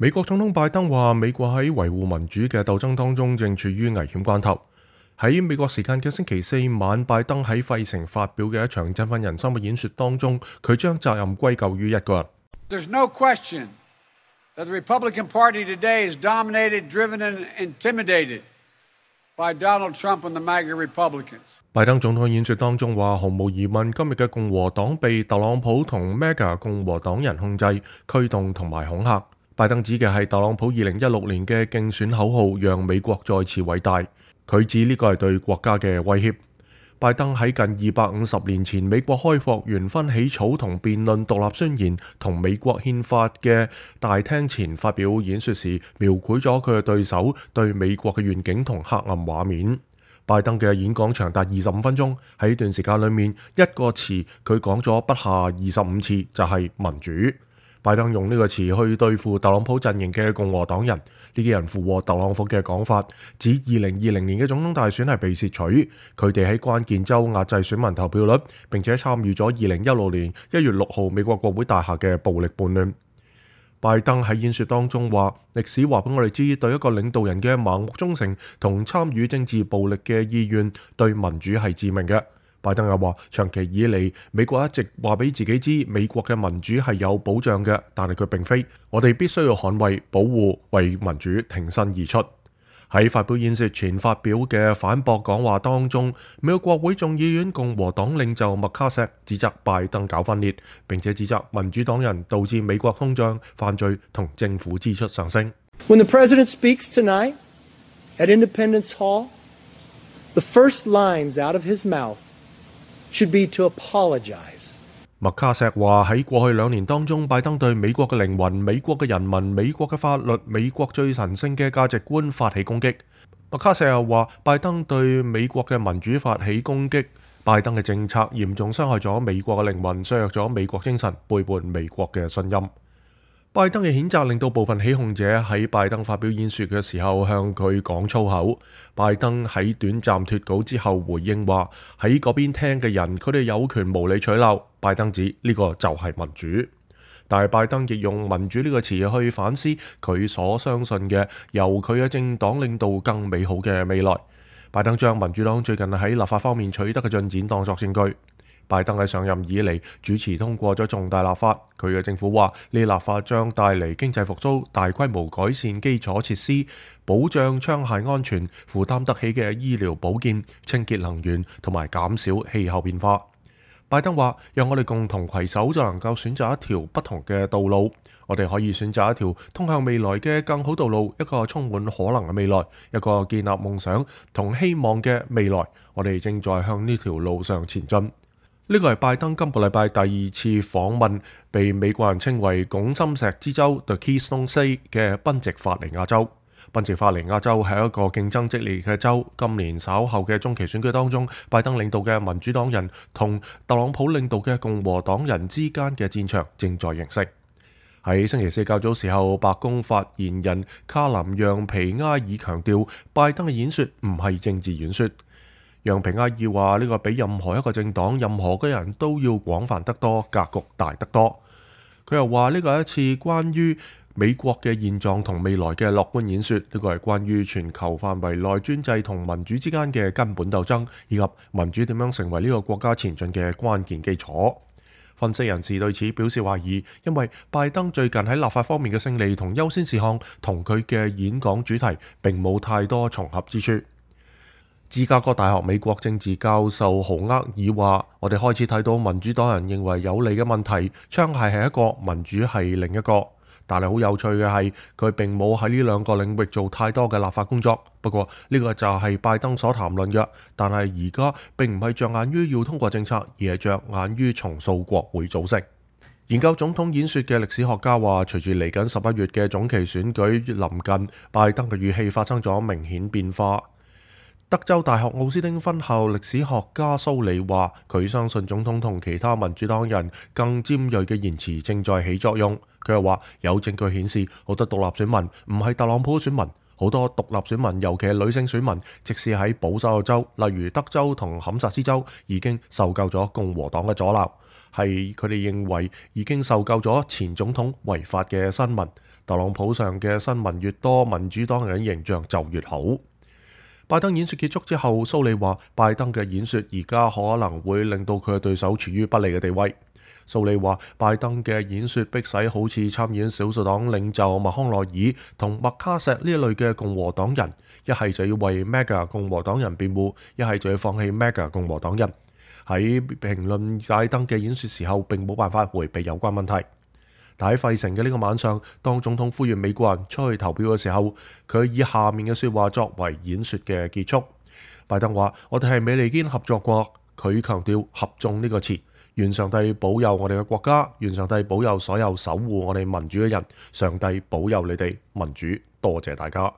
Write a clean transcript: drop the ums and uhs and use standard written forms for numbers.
美國總統拜登話，美國喺維護民主嘅鬥爭當中正處於危險關頭。喺美國時間嘅星期四晚，拜登喺費城發表嘅一場振奮人心嘅演說當中，佢將責任歸咎於一個人。There's no question that the Republican Party today is dominated, driven, and intimidated by Donald Trump and the MAGA Republicans. 拜登總統演說當中話，毫無疑問，今日嘅共和黨被特朗普同 MAGA 共和黨人控制、驅動同埋恐嚇。拜登指嘅係特朗普2016年嘅競選口號，讓美國再次偉大。佢指呢個係對國家嘅威脅。拜登喺近250年前美國開國元勳起草同辯論獨立宣言同美國憲法嘅大廳前發表演說時，描繪咗佢嘅對手對美國嘅願景同黑暗畫面。拜登嘅演講長達25分鐘，喺呢段時間裏面，一個詞佢講咗不下25次，就係民主。拜登用呢個詞去對付特朗普陣營嘅共和黨人，呢啲人附和特朗普嘅講法，指2020年嘅總統大選係被竊取，佢哋喺關鍵州壓制選民投票率，並且參與咗2016年1月6號美國國會大廈嘅暴力叛亂。拜登喺演說當中話，歷史話俾我哋知，對一個領導人嘅盲目忠誠同參與政治暴力嘅意願，對民主係致命嘅。拜登又話，長期以嚟，美國一直話俾自己知，美國嘅民主係有保障嘅，但係佢並非。我哋必須要捍衛、保護，為民主挺身而出。喺發表演說前發表嘅反駁講話當中，美國國會眾議院共和黨領袖麥卡錫指責拜登搞分裂，並且指責民主黨人導致美國通脹、犯罪同政府支出上升。When the president speaks tonight at Independence Hall, the first lines out of his mouth should be to apologize. 麥卡錫話喺過去2年當中，拜登對美國嘅靈魂、美國嘅人民、美國嘅法律、美國最神聖嘅價值觀發起攻擊。麥卡錫又話，拜登對美國嘅民主發起攻擊，拜登嘅政策嚴重傷害咗美國嘅靈魂，削弱咗美國精神，背叛美國嘅信任。拜登嘅譴責令到部分起哄者喺拜登發表演說嘅時候向佢講粗口。拜登喺短暫脫稿之後回應話，喺嗰邊聽嘅人，佢哋有權無理取鬧。拜登指呢個就係民主，但係拜登亦用民主呢個詞去反思佢所相信嘅由佢嘅政黨領導更美好嘅未來。拜登將民主黨最近喺立法方面取得嘅進展當作證據。拜登喺上任以嚟主持通過咗重大立法，佢嘅政府話呢立法將帶嚟經濟復甦、大規模改善基礎設施、保障槍械安全、負擔得起嘅醫療保健、清潔能源同埋減少氣候變化。拜登話，讓我哋共同攜手就能夠選擇一條不同嘅道路，我哋可以選擇一條通向未來嘅更好道路，一個充滿可能嘅未來，一個建立夢想同希望嘅未來。我哋正在向呢條路上前進。呢個係拜登今個禮拜第2次訪問被美國人稱為拱心石之州 The Keystone State 嘅賓夕法尼亞州。賓夕法尼亞州係一個競爭激烈嘅州。今年稍後嘅中期選舉當中，拜登領導嘅民主黨人同特朗普領導嘅共和黨人之間嘅戰場正在形成。喺星期四較早時候，白宮發言人卡林讓皮埃爾強調，拜登嘅演說唔係政治演說。讓皮埃爾話呢個比任何一個政黨、任何嘅人都要廣泛得多，格局大得多。佢又話呢個係一次關於美國嘅現狀同未來嘅樂觀演說，呢個係關於全球範圍內專制同民主之間嘅根本鬥爭，以及民主點樣成為呢個國家前進嘅關鍵基礎。分析人士對此表示懷疑，因為拜登最近喺立法方面嘅勝利同優先事項同佢嘅演講主題並冇太多重合之處。芝加哥大學美國政治教授豪厄爾話，我哋開始睇到民主黨人認為有利嘅問題，槍械係一個，民主係另一個。但係好有趣嘅係，佢並冇喺呢兩個領域做太多嘅立法工作。不過呢個就係拜登所談論嘅。但係而家並唔係着眼於要通過政策，而係着眼於重塑國會組織。研究總統演說嘅歷史學家話，隨住嚟緊11月嘅總期選舉臨近，拜登嘅語氣發生咗明顯變化。德州大學奧斯汀分校歷史學家蘇里話，佢相信總統同其他民主黨人更尖銳嘅言辭正在起作用。佢又話，有證據顯示好多獨立選民唔係特朗普選民，好多獨立選民，尤其係女性選民，即使喺保守嘅州，例如德州同堪薩斯州，已經受夠咗共和黨嘅阻撓。係佢哋認為已經受夠咗前總統違法嘅新聞。特朗普上嘅新聞越多，民主黨人形象就越好。拜登演說結束之後，蘇利話拜登嘅演說而家可能會令到佢嘅對手處於不利嘅地位。蘇利話拜登嘅演說迫使好似參議院少數黨領袖麥康奈爾同麥卡錫呢一類嘅共和黨人，一係就要為 MAGA 共和黨人辯護，一係就要放棄 MAGA 共和黨人。喺評論拜登嘅演說時候，並冇辦法迴避有關問題。但喺費城嘅呢個晚上，當總統呼籲美國人出去投票嘅時候，佢以下面嘅說話作為演說嘅結束。拜登話：我哋係美利堅合作國。佢強調合眾呢個詞。願上帝保佑我哋嘅國家，願上帝保佑所有守護我哋民主嘅人。上帝保佑你哋民主，多謝大家。